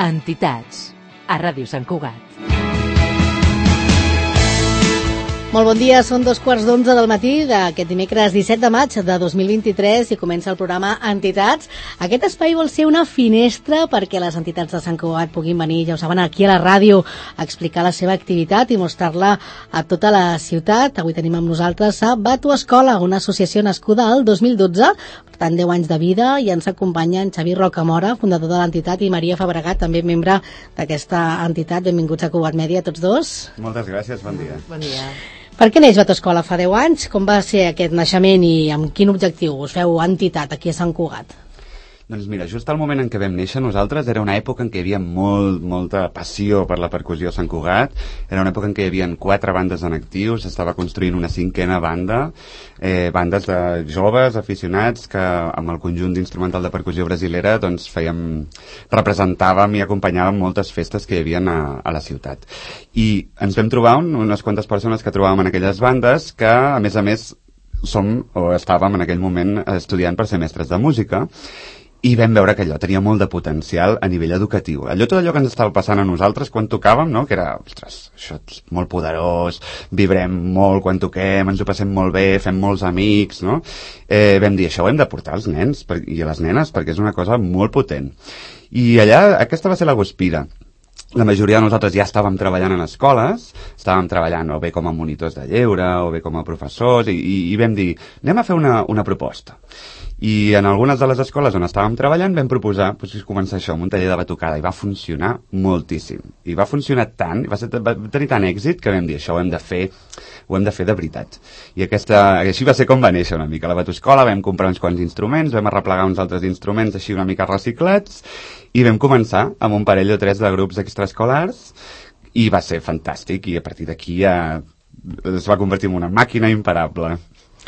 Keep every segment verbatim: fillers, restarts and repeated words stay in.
Entitats, a Ràdio Sant Cugat. Molt bon dia, són dos quarts d'onze del matí d'aquest dimecres disset de maig de dos mil vint-i-tres i comença el programa Entitats. Aquest espai vol ser una finestra perquè les entitats de Sant Cugat puguin venir, ja ho saben, aquí a la ràdio a explicar la seva activitat i mostrar-la a tota la ciutat. Avui tenim amb nosaltres a Batu Escola, una associació nascuda al dos mil dotze, per tant deu anys de vida, i ens acompanyen Xavi Rocamora, fundador de l'entitat, i Maria Fabregat, també membre d'aquesta entitat. Benvinguts a Cugat Mèdia, tots dos. Moltes gràcies, bon dia. Bon dia. Per què neix Batu Escola fa deu anys? Com va ser aquest naixement i amb quin objectiu us feu entitat aquí a Sant Cugat? Doncs mira, just al moment en què vam néixer nosaltres era una època en què hi havia molt, molta passió per la percussió a Sant Cugat. Era una època en què hi havia quatre bandes en actiu, s'estava construint una cinquena banda, eh, bandes de joves aficionats que amb el conjunt d'instrumental de percussió brasilera doncs fèiem, representàvem i acompanyàvem moltes festes que hi havia a, a la ciutat. I ens vam trobar un, unes quantes persones que trobàvem en aquelles bandes que, a més a més, som o estàvem en aquell moment estudiant per ser mestres de música, i vam veure que allò tenia molt de potencial a nivell educatiu. Allò, tot allò que ens estava passant a nosaltres quan tocàvem, no? Que era, ostres, això és molt poderós, vibrem molt quan toquem, ens ho passem molt bé, fem molts amics, no? Eh, vam dir, això ho hem de portar als nens per, i a les nenes, perquè és una cosa molt potent. I allà, aquesta va ser la guspira. La majoria de nosaltres ja estàvem treballant en escoles, estàvem treballant o bé com a monitors de lleure o bé com a professors, i, i, i vam dir, anem a fer una, una proposta. I en algunes de les escoles on estàvem treballant vam proposar pues, començar això amb un taller de batucada, i va funcionar moltíssim. I va funcionar tant, va, ser, va tenir tant èxit que vam dir, això ho hem de fer, ho hem de fer de veritat. I aquesta, així va ser com va néixer una mica la Batuescola. Vam comprar uns quants instruments, vam arreplegar uns altres instruments així una mica reciclats, i vam començar amb un parell o tres de grups extraescolars, i va ser fantàstic, i a partir d'aquí ja es va convertir en una màquina imparable.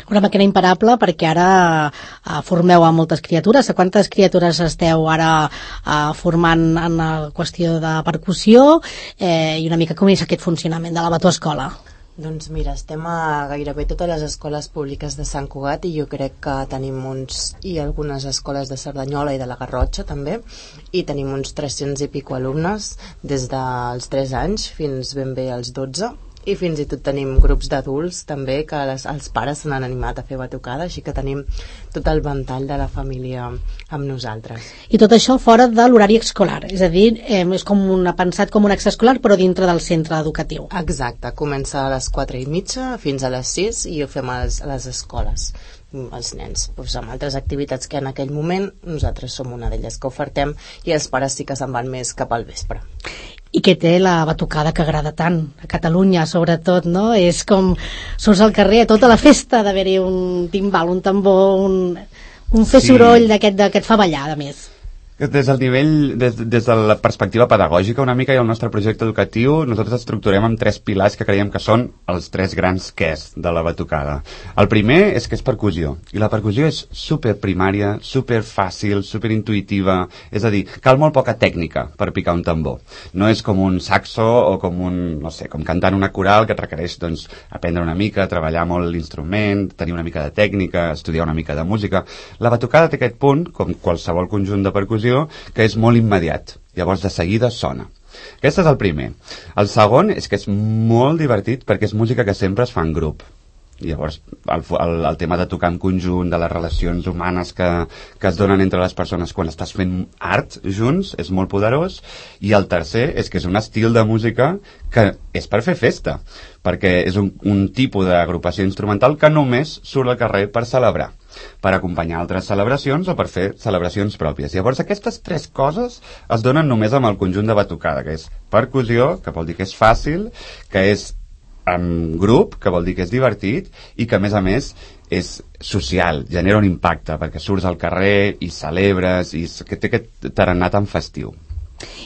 Una màquina imparable, perquè ara eh, formeu a moltes criatures. A quantes criatures esteu ara eh, formant en la qüestió de percussió, eh, i una mica com és aquest funcionament de la Batuescola? Doncs mira, estem a gairebé totes les escoles públiques de Sant Cugat, i jo crec que tenim uns, i algunes escoles de Cerdanyola i de la Garrotxa també, i tenim uns tres-cents i pico alumnes des dels tres anys fins ben bé als dotze. I fins i tot tenim grups d'adults també, que les, els pares se n'han animat a fer batucada, així que tenim tot el ventall de la família amb nosaltres. I tot això fora de l'horari escolar, és a dir, eh, és com una, pensat com un extraescolar però dintre del centre educatiu. Exacte, comença a les quatre i mitja fins a les sis i ho fem a les, a les escoles, els nens, doncs amb altres activitats que en aquell moment nosaltres som una d'elles que ofertem, i els pares sí que se'n van més cap al vespre. I què té la batucada que agrada tant a Catalunya, sobretot, no? És com surts al carrer a tota la festa d'haver-hi un timbal, un tambor, un, un fer Sí. soroll d'aquest que et fa ballar, a més. Des del nivell, des, des de la perspectiva pedagògica una mica, i el nostre projecte educatiu nosaltres estructurem amb tres pilars que creiem que són els tres grans quès de la batucada. El primer és que és percussió, i la percussió és super primària, super fàcil, super intuïtiva, és a dir, cal molt poca tècnica per picar un tambor. No és com un saxo o com un, no sé, com cantar una coral que et requereix doncs, aprendre una mica, treballar molt l'instrument, tenir una mica de tècnica, estudiar una mica de música. La batucada té aquest punt, com qualsevol conjunt de percussió, que és molt immediat, llavors de seguida sona. Aquest és el primer. El segon és que és molt divertit perquè és música que sempre es fa en grup. Llavors el, el, el tema de tocar en conjunt, de les relacions humanes que, que es donen entre les persones quan estàs fent art junts, és molt poderós. I el tercer és que és un estil de música que és per fer festa, perquè és un, un tipus d'agrupació instrumental que només surt al carrer per celebrar, per acompanyar altres celebracions o per fer celebracions pròpies. Llavors aquestes tres coses es donen només amb el conjunt de batucada, que és percussió, que vol dir que és fàcil, que és en grup, que vol dir que és divertit, i que a més a més és social, genera un impacte perquè surts al carrer i celebres, i que té aquest tarannà tan festiu.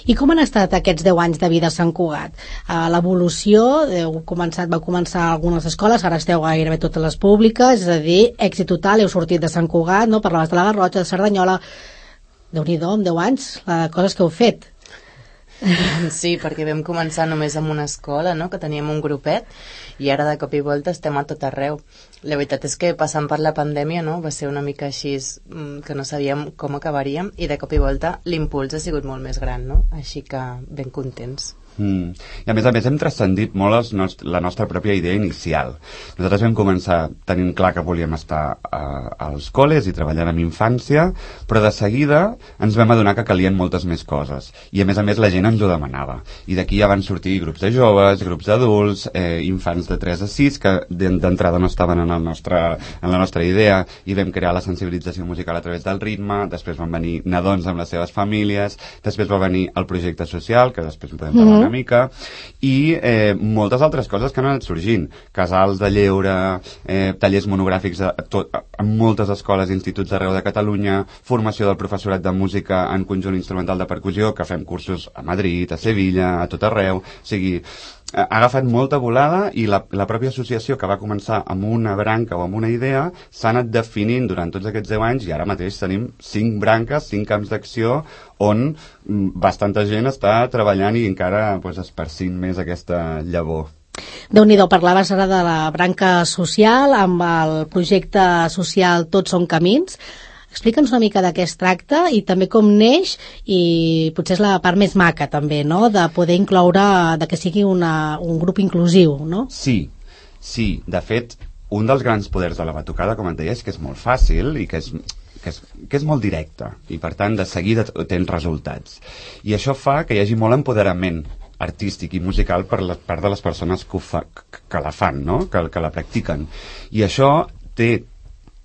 I com han estat aquests deu anys de vida a Sant Cugat? Uh, L'evolució, heu començat, vau començar a algunes escoles, ara esteu gairebé totes les públiques, és a dir, èxit total, heu sortit de Sant Cugat, no? Parlaves de la Garrotxa, de Cerdanyola. Déu-n'hi-do, en deu anys, les coses que heu fet. Sí, perquè vam començar només amb una escola, no?, que teníem un grupet, i ara de cop i volta estem a tot arreu. La veritat és que passant per la pandèmia, no?, va ser una mica així, que no sabíem com acabaríem, i de cop i volta l'impuls ha sigut molt més gran, no? Així que ben contents. Mm. I a més a més hem transcendit molt els nost la nostra pròpia idea inicial. Nosaltres vam començar tenint clar que volíem estar uh, als col·les i treballant amb infància, però de seguida ens vam adonar que calien moltes més coses, i a més a més la gent ens ho demanava, i d'aquí ja van sortir grups de joves, grups d'adults, eh, infants de tres a sis que d'entrada no estaven en, el nostre, en la nostra idea, i vam crear la sensibilització musical a través del ritme. Després van venir nadons amb les seves famílies, després va venir el projecte social, que després en podem parlar mm-hmm. una mica, i eh, moltes altres coses que han anat sorgint, casals de lleure, eh, tallers monogràfics a, tot, a, a moltes escoles i instituts d'arreu de Catalunya, formació del professorat de música en conjunt instrumental de percussió, que fem cursos a Madrid, a Sevilla, a tot arreu. O sigui, ha agafat molta volada, i la, la pròpia associació, que va començar amb una branca o amb una idea, s'ha anat definint durant tots aquests deu anys, i ara mateix tenim cinc branques, cinc camps d'acció on bastanta gent està treballant i encara pues, esparcint més aquesta llavor. Déu-n'hi-do, parlaves ara de la branca social amb el projecte social Tots som camins. Explica'ns una mica de què es tracta i també com neix, i potser és la part més maca també, no?, de poder incloure, de que sigui una, un grup inclusiu, no? Sí, sí. De fet, un dels grans poders de la batucada, com et deia, és que és molt fàcil i que és, que és, que és molt directe, i per tant de seguida tens resultats. I això fa que hi hagi molt empoderament artístic i musical per la part de les persones que, ho fa, que la fan, no?, que, que la practiquen. I això té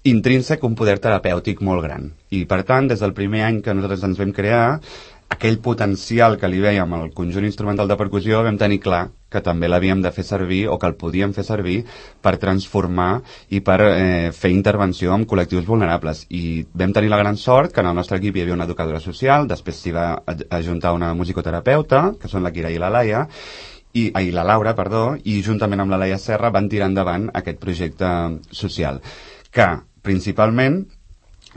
intrínsec un poder terapèutic molt gran. I, per tant, des del primer any que nosaltres ens vam crear, aquell potencial que li veiem al conjunt instrumental de percussió, vam tenir clar que també l'havíem de fer servir, o que el podíem fer servir per transformar i per eh, fer intervenció amb col·lectius vulnerables. I vam tenir la gran sort que en el nostre equip hi havia una educadora social, després s'hi va ajuntar una musicoterapeuta, que són la Kira i la Laia, i, ai, la Laura, perdó, i juntament amb la Laia Serra van tirar endavant aquest projecte social, que principalment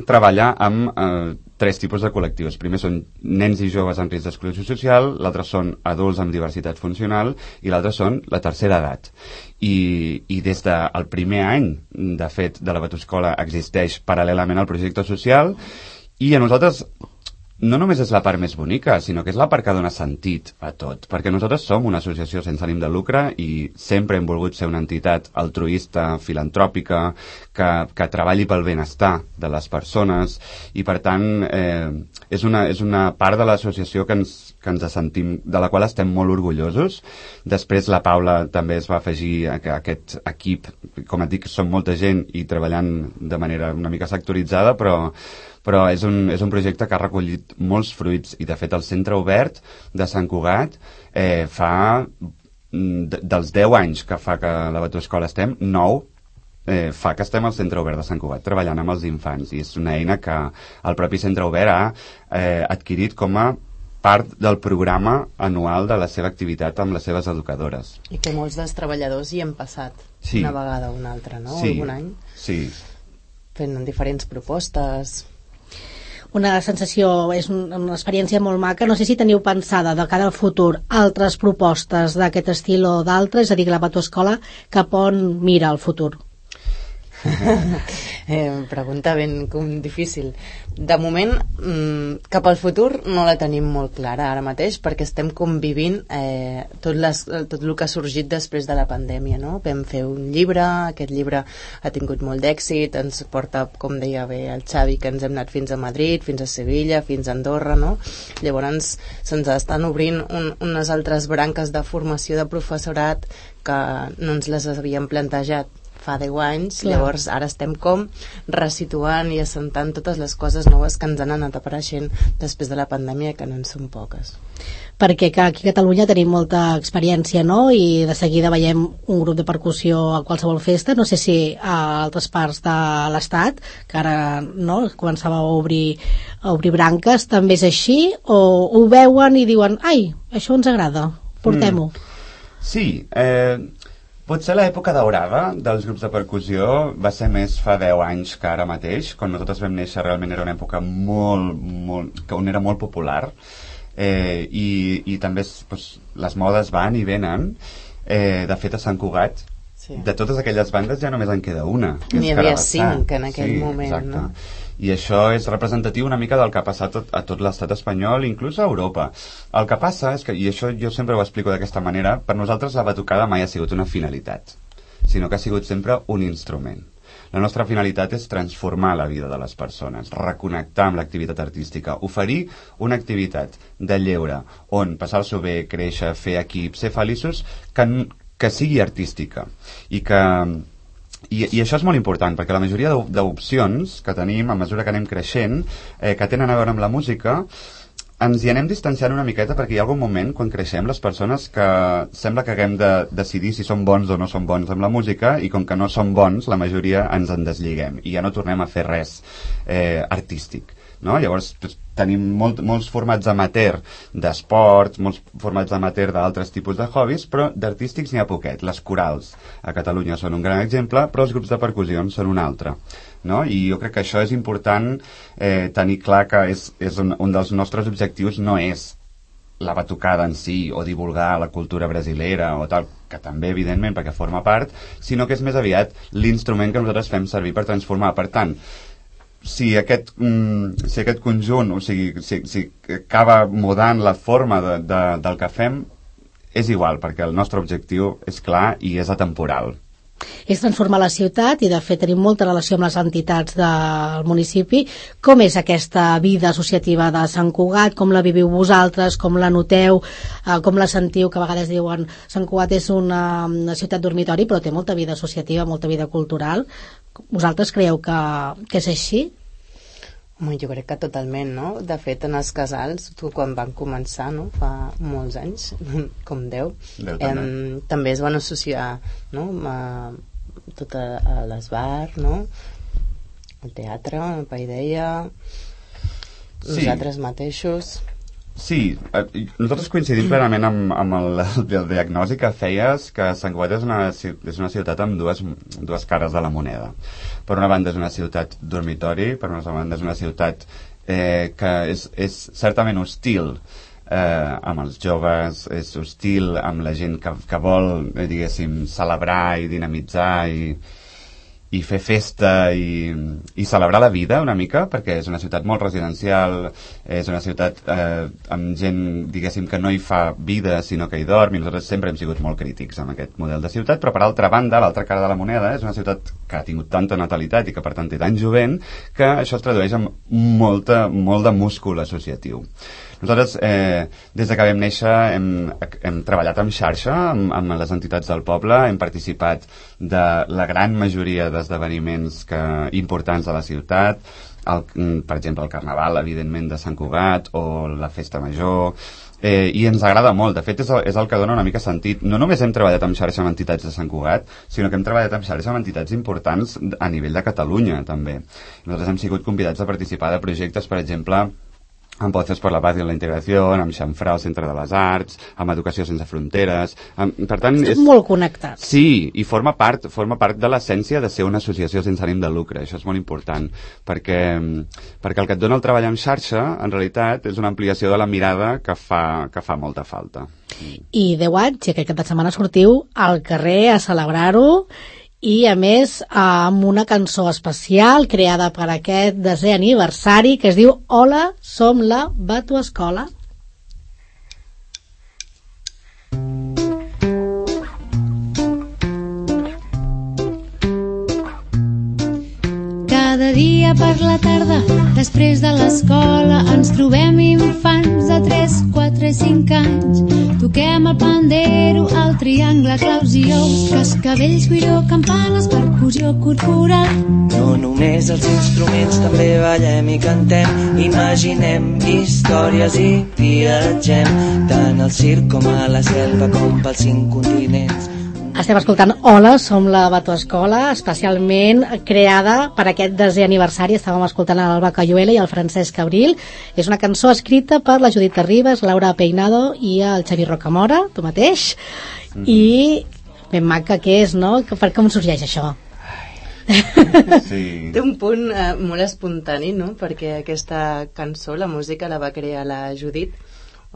treballa amb eh, tres tipus de col·lectius. Primer són nens i joves en risc d'exclusió social, l'altre són adults amb diversitat funcional, i l'altre són la tercera edat. I, i des del primer any, de fet, de la Batuscola existeix paral·lelament al projecte social, i a nosaltres no només és la part més bonica, sinó que és la part que dona sentit a tot, perquè nosaltres som una associació sense ànim de lucre i sempre hem volgut ser una entitat altruista, filantròpica, que, que treballi pel benestar de les persones, i per tant eh, és, una, és una part de l'associació que ens, que ens sentim, de la qual estem molt orgullosos. Després la Paula també es va afegir a, a aquest equip, com et dic, som molta gent i treballant de manera una mica sectoritzada, però però és un, és un projecte que ha recollit molts fruits, i de fet el Centre Obert de Sant Cugat eh, fa de, dels deu anys que fa que la Batuscola estem, nou eh, fa que estem al Centre Obert de Sant Cugat treballant amb els infants, i és una eina que el propi Centre Obert ha eh, adquirit com a part del programa anual de la seva activitat amb les seves educadores. I que molts dels treballadors hi hem passat sí. una vegada o una altra, no? Sí. Algun any. Sí. Fent diferents propostes. Una sensació, és una experiència molt maca. No sé si teniu pensada de cara al futur altres propostes d'aquest estil o d'altres, és a dir, la Batuscola cap on mira el futur? eh, pregunta ben com difícil. De moment, mmm, cap al futur no la tenim molt clara ara mateix, perquè estem convivint eh, tot, les, tot el que ha sorgit després de la pandèmia, no? Vam fer un llibre, aquest llibre ha tingut molt d'èxit, ens porta, com deia bé el Xavi, que ens hem anat fins a Madrid, fins a Sevilla, fins a Andorra, no? Llavors se'ns estan obrint un, unes altres branques de formació de professorat que no ens les havíem plantejat fa deu anys. Clar. Llavors ara estem com resituant i assentant totes les coses noves que ens han anat apareixent després de la pandèmia, que no en són poques. Perquè que aquí a Catalunya tenim molta experiència, no? I de seguida veiem un grup de percussió a qualsevol festa. No sé si a altres parts de l'Estat, que ara no, començava a obrir, a obrir branques, també és així, o ho veuen i diuen, ai, això ens agrada, portem-ho. Mm. Sí, eh... potser l'època daurada dels grups de percussió va ser més fa deu anys que ara mateix. Quan nosaltres vam néixer realment era una època molt, molt, on era molt popular. eh, i, i també pues, les modes van i venen. Eh, de fet, a Sant Cugat, sí. de totes aquelles bandes ja només en queda una. N'hi havia cinc en aquell sí, moment, exacte. no? I això és representatiu una mica del que ha passat a tot l'estat espanyol, inclús a Europa. El que passa és que, i això jo sempre ho explico d'aquesta manera, per nosaltres la batucada mai ha sigut una finalitat, sinó que ha sigut sempre un instrument. La nostra finalitat és transformar la vida de les persones, reconnectar amb l'activitat artística, oferir una activitat de lleure on passar-s'ho bé, créixer, fer equip, ser feliços, que, que sigui artística. I que... I, i això és molt important, perquè la majoria d'opcions que tenim a mesura que anem creixent, eh, que tenen a veure amb la música, ens hi anem distanciant una miqueta, perquè hi ha algun moment quan creixem les persones que sembla que haguem de decidir si som bons o no som bons amb la música, i com que no som bons la majoria ens en desliguem i ja no tornem a fer res eh, artístic, no? Llavors tenim molt, molts formats amateur d'esports, molts formats amateur d'altres tipus de hobbies, però d'artístics n'hi ha poquet. Les corals a Catalunya són un gran exemple, però els grups de percussió són un altre, no? I jo crec que això és important eh, tenir clar que és, és un, un dels nostres objectius no és la batucada en si o divulgar la cultura brasilera o tal, que també evidentment perquè forma part, sinó que és més aviat l'instrument que nosaltres fem servir per transformar. Per tant, si aquest, mm, si aquest conjunt, o sigui, si, si acaba mudant la forma de, de, del que fem, és igual, perquè el nostre objectiu és clar i és atemporal. És transformar la ciutat i de fet tenim molta relació amb les entitats del municipi. Com és aquesta vida associativa de Sant Cugat? Com la viviu vosaltres? Com la noteu? Eh, com la sentiu? Que a vegades diuen Sant Cugat és una, una ciutat dormitori, però té molta vida associativa, molta vida cultural. Vosaltres creieu que, que és així? Home, jo crec que totalment, no? De fet, en els casals, tu, quan van començar, no? Fa molts anys, com deu, Déu eh, també es van associar, no? A, tot a, a l'esbar, no? El teatre, el Paideia, sí. Nosaltres mateixos... Sí, eh, nosaltres coincidim plenament amb, amb el, el diagnòstic que feies, que Sant Cugat és una, és una ciutat amb dues, dues cares de la moneda. Per una banda és una ciutat dormitori, per una altra banda és una ciutat eh, que és, és certament hostil eh, amb els joves, és hostil amb la gent que, que vol, eh, diguéssim, celebrar i dinamitzar i... i fer festa i, i celebrar la vida una mica, perquè és una ciutat molt residencial, és una ciutat eh, amb gent, diguéssim, que no hi fa vida sinó que hi dorm, i nosaltres sempre hem sigut molt crítics amb aquest model de ciutat, però per altra banda, l'altra cara de la moneda és una ciutat que ha tingut tanta natalitat i que per tant té tan jovent que això es tradueix en molta, molt de múscul associatiu. Nosaltres, eh, des de que vam néixer, hem, hem treballat en xarxa amb, amb les entitats del poble, hem participat de la gran majoria d'esdeveniments que, importants de la ciutat, el, per exemple, el Carnaval, evidentment, de Sant Cugat, o la Festa Major, eh, i ens agrada molt. De fet, és el, és el que dona una mica sentit. No només hem treballat en xarxa amb entitats de Sant Cugat, sinó que hem treballat en xarxa amb entitats importants a nivell de Catalunya, també. Nosaltres hem sigut convidats a participar de projectes, per exemple, amb Voces per la Paz i la Integració, amb Xamfrà, el Centre de les Arts, amb Educació Sense Fronteres... Amb, per tant, és molt connectat. Sí, i forma part, forma part de l'essència de ser una associació sense ànim de lucre. Això és molt important, perquè, perquè el que et dona el treball en xarxa, en realitat, és una ampliació de la mirada que fa, que fa molta falta. I deu anys, i aquest cap de setmana sortiu al carrer a celebrar-ho, i a més amb una cançó especial creada per aquest desè aniversari que es diu Hola, som la Batuescola. Cada dia per la tarda, després de l'escola, ens trobem infants de tres, quatre i cinc anys. Toquem el pandero, el triangle, claus i ous, cascavells, guiró, campanes, percussió corporal. No només els instruments, també ballem i cantem, imaginem històries i viatgem, tant al circ com a la selva com pels cinc continents. Estem escoltant Hola, som la Batuescola, especialment creada per aquest desè aniversari. Estàvem escoltant l'Alba Cayuela i el Francesc Abril. És una cançó escrita per la Judit Ribas, Laura Peinado i el Xavi Rocamora, tu mateix. Mm. I ben maca que és, no? Per com sorgeix això? Sí. Té un punt eh, molt espontani, no? Perquè aquesta cançó, la música la va crear la Judit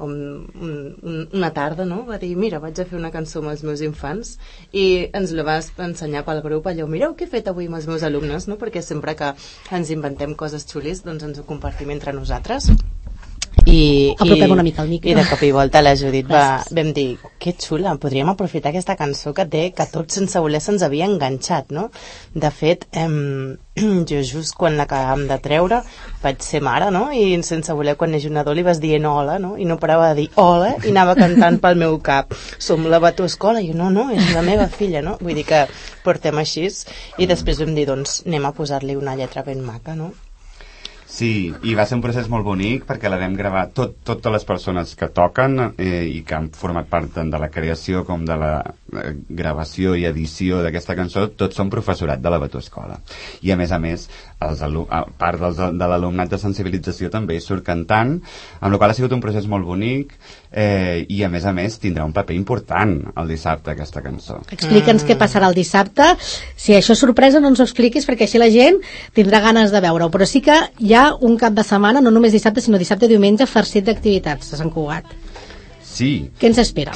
un, un, una tarda, no? Va dir, mira, vaig a fer una cançó amb els meus infants, i ens la vas ensenyar pel grup, allò, mireu què he fet avui amb els meus alumnes, no? Perquè sempre que ens inventem coses xulis, doncs ens ho compartim entre nosaltres. I, apropem i, una mica el micro. I de cop i volta la Judit va, vam dir, que xula, podríem aprofitar aquesta cançó que té, que tot sense voler se'ns havia enganxat, no? De fet, em, jo just quan l'acabàvem de treure vaig ser mare, no? I sense voler, quan neix un nadó li vas dient hola, no? I no parava de dir hola i anava cantant pel meu cap, som la Batuescola, i jo, no, no, és la meva filla, no? Vull dir que portem així, i després vam dir, doncs anem a posar-li una lletra ben maca, no? Sí, i va ser un procés molt bonic perquè la vam gravar tot, totes les persones que toquen eh, i que han format part tant de la creació com de la eh, gravació i edició d'aquesta cançó, tots són professorat de la Batuescola. I a més a més, els a part dels, de l'alumnat de sensibilització també surt cantant, amb la qual ha sigut un procés molt bonic eh, i a més a més tindrà un paper important el dissabte aquesta cançó. Explica'ns mm. què passarà el dissabte. Si això és sorpresa no ens ho expliquis perquè així la gent tindrà ganes de veure-ho, però sí que hi ha un cap de setmana, no només dissabte sinó dissabte i diumenge, farcit d'activitats a Sant Cugat. Sí. Què ens espera?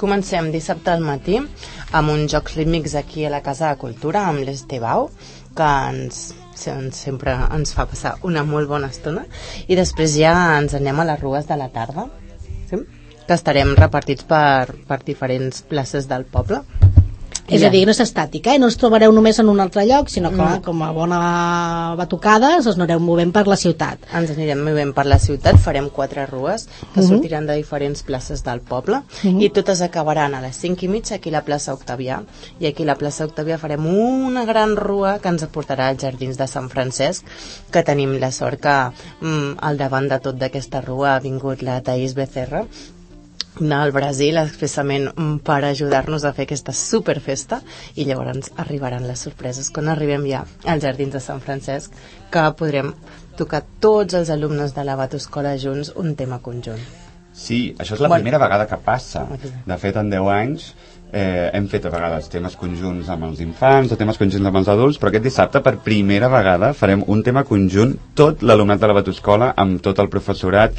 Comencem dissabte al matí amb uns jocs rítmics aquí a la Casa de Cultura amb l'Estebau, que ens, sempre ens fa passar una molt bona estona, i després ja ens anem a les rues de la tarda, sí? Que estarem repartits per, per diferents places del poble. És a dir, no és estàtica, eh? No ens trobareu només en un altre lloc, sinó que, no. Com a bona batucades, us anireu movent per la ciutat. Ens anirem movent per la ciutat, farem quatre rues que uh-huh. sortiran de diferents places del poble uh-huh. i totes acabaran a les cinc i mitja aquí a la plaça Octavià. I aquí a la plaça Octavià farem una gran rua que ens aportarà als jardins de Sant Francesc, que tenim la sort que mm, al davant de tot d'aquesta rua ha vingut la Thaís Becerra, al Brasil expressament per ajudar-nos a fer aquesta superfesta, i llavors arribaran les sorpreses quan arribem ja als jardins de Sant Francesc, que podrem tocar tots els alumnes de la Batuescola junts un tema conjunt. Sí, això és la bueno. primera vegada que passa. De fet, en deu anys eh, hem fet a vegades temes conjunts amb els infants o temes conjunts amb els adults, però aquest dissabte per primera vegada farem un tema conjunt, tot l'alumnat de la Batuescola amb tot el professorat,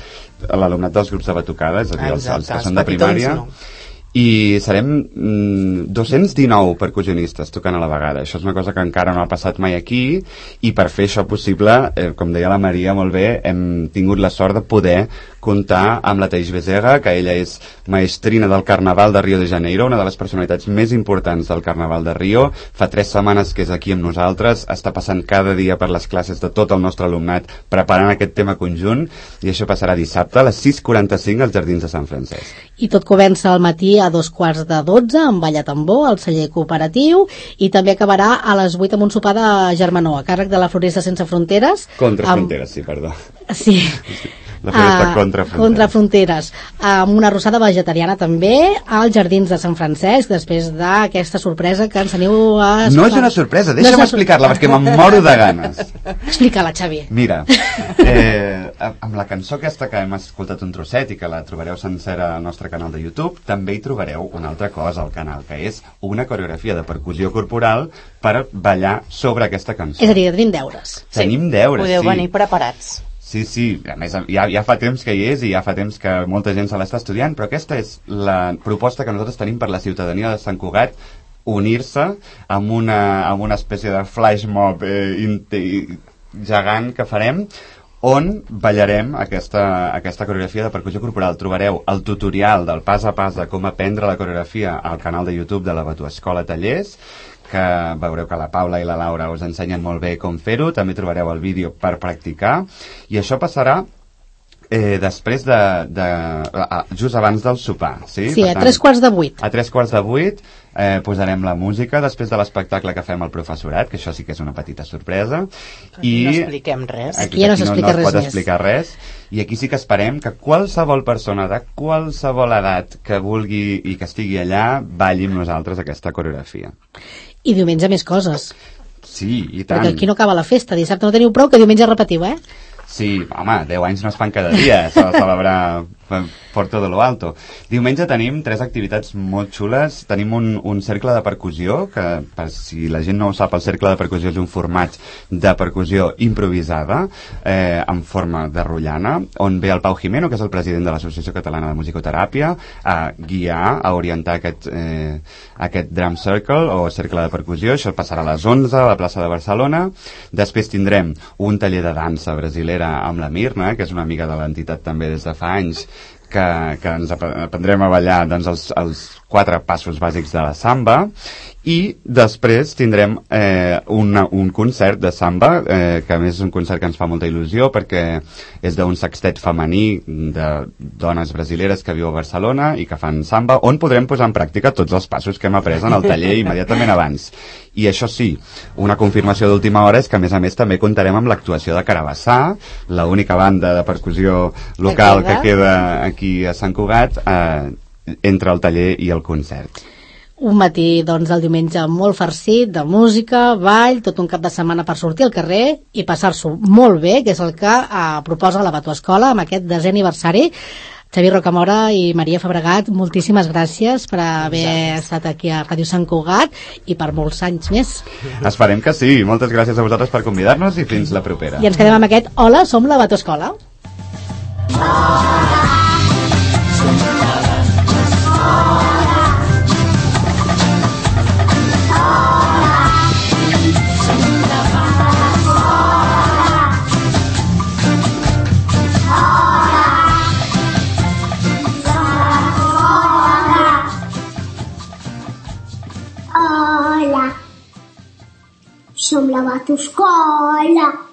l'alumnat dels grups de batucada, és a dir, els, els que són de primària, no. I serem mm, dos-cents dinou percussionistes tocant a la vegada. Això és una cosa que encara no ha passat mai aquí, i per fer això possible, eh, com deia la Maria molt bé, hem tingut la sort de poder comptar amb la Thaís Becerra, que ella és maestrina del Carnaval de Rio de Janeiro, una de les personalitats més importants del Carnaval de Rio. Fa tres setmanes que és aquí amb nosaltres, està passant cada dia per les classes de tot el nostre alumnat preparant aquest tema conjunt, i això passarà dissabte a les sis quaranta-cinc als Jardins de Sant Francesc. I tot comença al matí a dos quarts de dotze amb ball a tambor al celler cooperatiu, i també acabarà a les vuit amb un sopar de germanor a càrrec de la Floresta Sense Fronteres. Contra amb... Fronteres, sí, perdó. Sí. La festa uh, contra fronteres. Contra fronteres. Amb una arrossada vegetariana també als Jardins de Sant Francesc, després d'aquesta sorpresa que ens teniu a... No és una sorpresa, deixa'm no explicar-la, perquè me'n moro de ganes. Explica-la, Xavi. Mira, eh, amb la cançó aquesta que hem escoltat un trosset i que la trobareu sencera al nostre canal de YouTube, també hi trobareu una altra cosa al canal, que és una coreografia de percussió corporal per ballar sobre aquesta cançó. És a dir, tenim deures. Tenim deures, sí. Podeu sí. venir preparats. Sí, sí, a més ja, ja fa temps que hi és i ja fa temps que molta gent se l'està estudiant, però aquesta és la proposta que nosaltres tenim per la ciutadania de Sant Cugat, unir-se amb una, amb una espècie de flash mob eh, gegant que farem, on ballarem aquesta, aquesta coreografia de percussió corporal. Trobareu el tutorial del pas a pas de com aprendre la coreografia al canal de YouTube de la Batuescola Tallers, que veureu que la Paula i la Laura us ensenyen molt bé com fer-ho. També trobareu el vídeo per practicar, i això passarà eh, després de, de just abans del sopar, sí? Sí, per a tant, tres quarts de vuit. A tres quarts de vuit eh, posarem la música després de l'espectacle que fem al professorat, que això sí que és una petita sorpresa. Aquí I no expliquem res. Aquí ja no s'explica no, no res pot més. explicar res. I aquí sí que esperem que qualsevol persona de qualsevol edat que vulgui i que estigui allà balli amb nosaltres aquesta coreografia. I diumenge més coses. Sí, i tant. Perquè aquí no acaba la festa. Dissabte no teniu prou, que diumenge repetiu, eh? Sí, home, deu anys no es fan cada dia. S'ha de celebrar por todo lo alto. Diumenge tenim tres activitats molt xules. Tenim un, un cercle de percussió, que per si la gent no ho sap, el cercle de percussió és un format de percussió improvisada eh, en forma de rotllana, on ve el Pau Jimeno, que és el president de l'Associació Catalana de Musicoteràpia, a guiar, a orientar aquest, eh, aquest drum circle o cercle de percussió. Això passarà a les onze a la plaça de Barcelona. Després tindrem un taller de dansa brasilera amb la Mirna, que és una amiga de l'entitat també des de fa anys, que, que ens aprendrem a ballar doncs, els, els quatre passos bàsics de la samba, i després tindrem eh, una, un concert de samba, eh, que a més és un concert que ens fa molta il·lusió perquè és d'un sextet femení de dones brasileres que viu a Barcelona i que fan samba, on podrem posar en pràctica tots els passos que hem après en el taller immediatament abans. I això sí, una confirmació d'última hora és que a més a més també comptarem amb l'actuació de Carabassà, l'única banda de percussió local que queda aquí a Sant Cugat, eh, entre el taller i el concert. Un matí, doncs, del diumenge molt farcit de música, ball, tot un cap de setmana per sortir al carrer i passar-s'ho molt bé, que és el que eh, proposa la Batuescola amb aquest desè aniversari. Xavier Rocamora i Maria Fabregat, moltíssimes gràcies per haver estat aquí a Ràdio Sant Cugat i per molts anys més. Esperem que sí. Moltes gràcies a vosaltres per convidar-nos i fins la propera. I ens quedem amb aquest Hola, som la Batuescola. Hola, som la Batuescola. Som la Batuescola.